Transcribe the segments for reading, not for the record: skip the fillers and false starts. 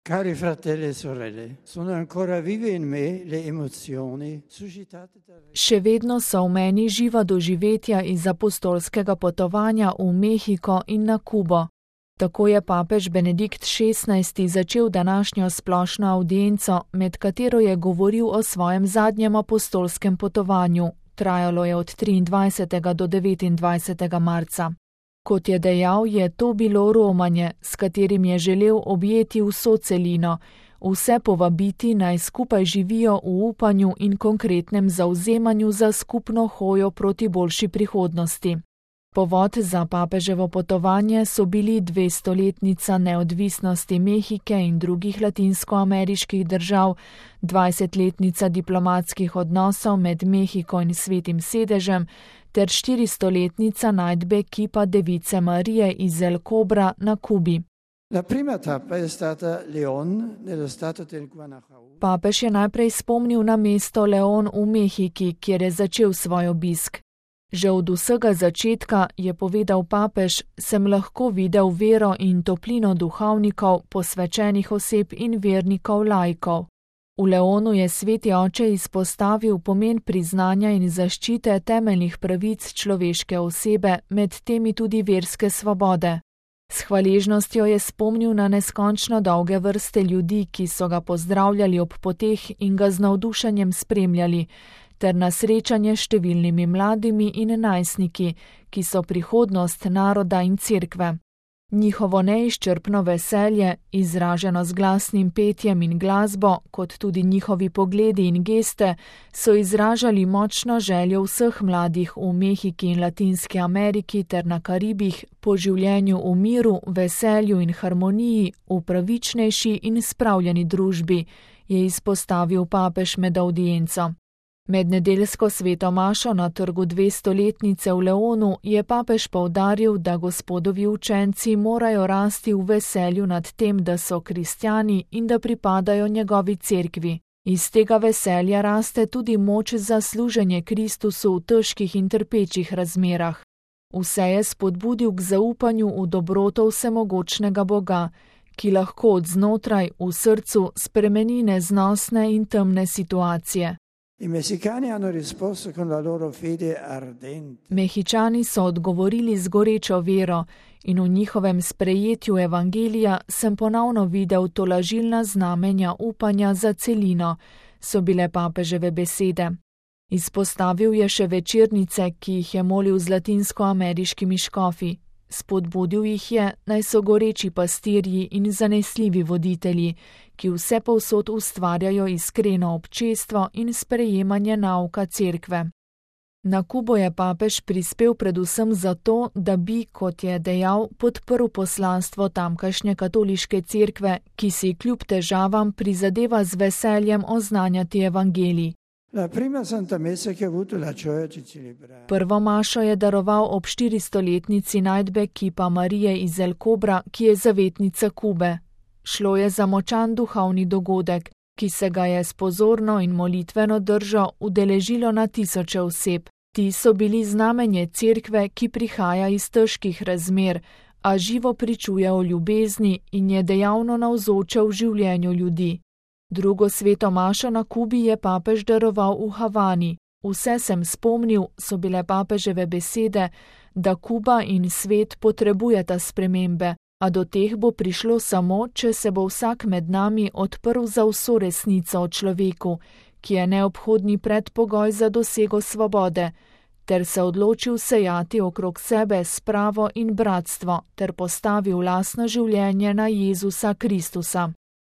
Cari fratelli e sorelle, sono ancora vive in me le emozioni suscitate da... Še vedno so v meni živa doživetja iz apostolskega potovanja v Mehiko in na Kubo. Tako je papež Benedikt XVI začel današnjo splošno avdienco, med katero je govoril o svojem zadnjem apostolskem potovanju. Trajalo je od 23. do 29. marca. Kot je dejal, je to bilo romanje, s katerim je želel objeti vso celino, vse povabiti naj skupaj živijo v upanju in konkretnem zavzemanju za skupno hojo proti boljši prihodnosti. Povod za papeževo potovanje so bili 200-letnica neodvisnosti Mehike in drugih latinskoameriških držav, 20-letnica diplomatskih odnosov med Mehiko in Svetim sedežem ter 400-letnica najdbe kipa Device Marije iz El Cobra na Kubi. La prima tappa è stata León, nello stato del Guanajuato. Papež je najprej spomnil na mesto León v Mehiki, kjer je začel svoj obisk. Že od vsega začetka, je povedal papež, sem lahko videl vero in toplino duhovnikov, posvečenih oseb in vernikov laikov. V Leonu je sveti oče izpostavil pomen priznanja in zaščite temeljnih pravic človeške osebe, med temi tudi verske svobode. S hvaležnostjo je spomnil na neskončno dolge vrste ljudi, ki so ga pozdravljali ob poteh in ga z navdušenjem spremljali, ter na srečanje s številnimi mladimi in najstniki, ki so prihodnost naroda in cerkve. Njihovo neizčrpno veselje, izraženo z glasnim petjem in glasbo, kot tudi njihovi pogledi in geste, so izražali močno željo vseh mladih v Mehiki in Latinski Ameriki ter na Karibih po življenju v miru, veselju in harmoniji, v pravičnejši in spravljeni družbi, je izpostavil papež med avdienco. Med nedeljsko sveto mašo na trgu 200-letnice v Leonu je papež poudaril, da Gospodovi učenci morajo rasti v veselju nad tem, da so kristjani in da pripadajo njegovi cerkvi. Iz tega veselja raste tudi moč za služenje Kristusu v težkih in trpečih razmerah. Vse je spodbudil k zaupanju v dobroto vsemogočnega Boga, ki lahko od znotraj v srcu spremeni neznosne in temne situacije. Mehičani so odgovorili z gorečo vero in v njihovem sprejetju evangelija sem ponovno videl tolažilna znamenja upanja za celino, so bile papeževe besede. Izpostavil je še večernice, ki jih je molil z latinskoameriškimi škofi. Spodbudil jih je, naj so goreči pastirji in zanesljivi voditelji, ki vse povsod ustvarjajo iskreno občestvo in sprejemanje nauka cerkve. Na Kubo je papež prispel predvsem zato, da bi, kot je dejal, podprl poslanstvo tamkajšnje katoliške cerkve, ki si kljub težavam prizadeva z veseljem oznanjati evangelij. Prvo mašo je daroval ob 400-letnici najdbe kipa Marije iz El Cobra, ki je zavetnica Kube. Šlo je za močan duhovni dogodek, ki se ga je s pozorno in molitveno držo udeležilo na tisoče oseb. Ti so bili znamenje cerkve, ki prihaja iz težkih razmer, a živo pričuje o ljubezni in je dejavno navzoča v življenju ljudi. Drugo sveto mašo na Kubi je papež daroval v Havani. Vse sem spomnil, so bile papeževe besede, da Kuba in svet potrebujeta spremembe, a do teh bo prišlo samo, če se bo vsak med nami odprl za vso resnico o človeku, ki je neobhodni predpogoj za dosego svobode, ter se odločil sejati okrog sebe spravo in bratstvo, ter postavil lastno življenje na Jezusa Kristusa.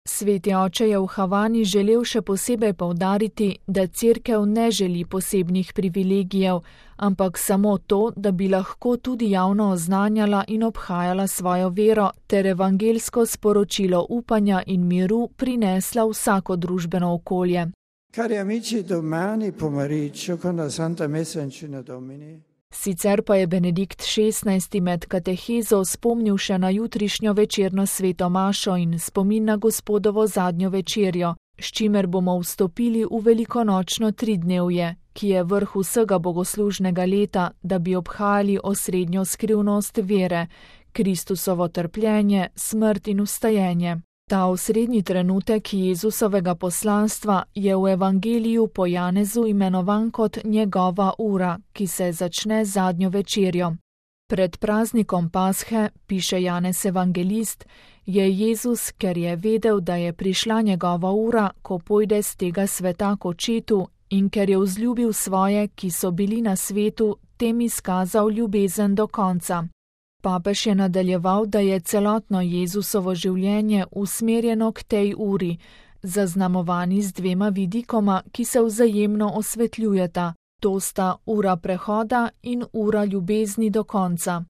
Sveti oče je v Havani želel še posebej poudariti, da cerkev ne želi posebnih privilegijev, ampak samo to, da bi lahko tudi javno oznanjala in obhajala svojo vero ter evangelsko sporočilo upanja in miru prinesla vsako družbeno okolje. Cari amici, domani pomeriggio con la Santa Messa in Cena Domini. Sicer pa je Benedikt XVI med katehezo spomnil še na jutrišnjo večerno sveto mašo in spomin na Gospodovo zadnjo večerjo, s čimer bomo vstopili v velikonočno tridnevje, ki je vrh vsega bogoslužnega leta, da bi obhajali osrednjo skrivnost vere, Kristusovo trpljenje, smrt in vstajenje. Ta osrednji trenutek Jezusovega poslanstva je v evangeliju po Janezu imenovan kot njegova ura, ki se začne z zadnjo večerjo. Pred praznikom Pashe, piše Janez evangelist, je Jezus, ker je vedel, da je prišla njegova ura, ko pojde z tega sveta k očetu, in ker je vzljubil svoje, ki so bili na svetu, tem izkazal ljubezen do konca. Papež je nadaljeval, da je celotno Jezusovo življenje usmerjeno k tej uri, zaznamovani z dvema vidikoma, ki se vzajemno osvetljujeta. To sta ura prehoda in ura ljubezni do konca.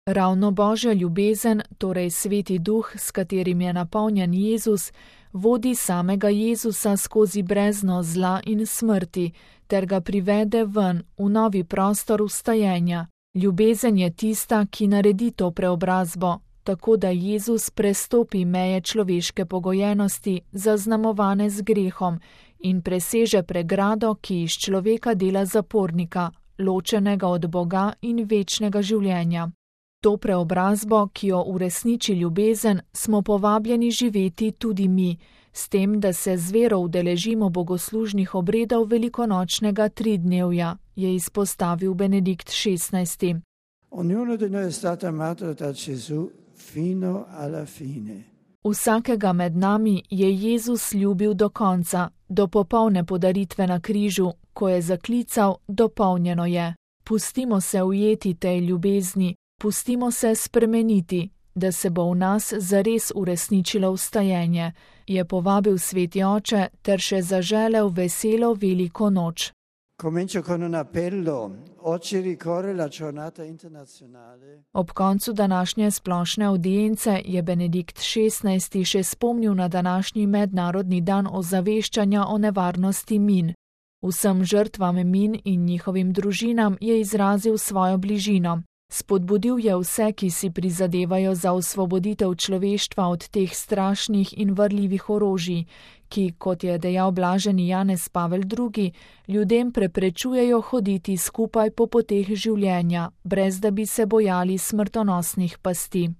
Ravno Božja ljubezen, torej Sveti Duh, s katerim je napolnjen Jezus, vodi samega Jezusa skozi brezno zla in smrti, ter ga privede ven v novi prostor vstajenja. Ljubezen je tista, ki naredi to preobrazbo, tako da Jezus prestopi meje človeške pogojenosti, zaznamovane z grehom, in preseže pregrado, ki iz človeka dela zapornika, ločenega od Boga in večnega življenja. To preobrazbo, ki jo uresniči ljubezen, smo povabljeni živeti tudi mi, s tem, da se z vero udeležimo bogoslužnih obredov velikonočnega tridnevja, je izpostavil Benedikt XVI. Ognuno di noi è stato amato da Gesù fino alla fine. Vsakega med nami je Jezus ljubil do konca, do popolne podaritve na križu, ko je zaklical: dopolnjeno je. Pustimo se ujeti tej ljubezni, pustimo se spremeniti, da se bo v nas zares uresničilo vstajenje, je povabil Sveti Oče ter še zaželel veselo veliko noč. Comincio con un appello. Oggi ricorre la giornata internazionale. Ob koncu današnje splošne audience je Benedikt XVI še spomnil na današnji mednarodni dan ozaveščanja o nevarnosti min. Vsem žrtvam min in njihovim družinam je izrazil svojo bližino. Spodbudil je vse, ki si prizadevajo za osvoboditev človeštva od teh strašnih in varljivih orožij, ki, kot je dejal blaženi Janez Pavel II., ljudem preprečujejo hoditi skupaj po poteh življenja, brez da bi se bojali smrtonosnih pasti.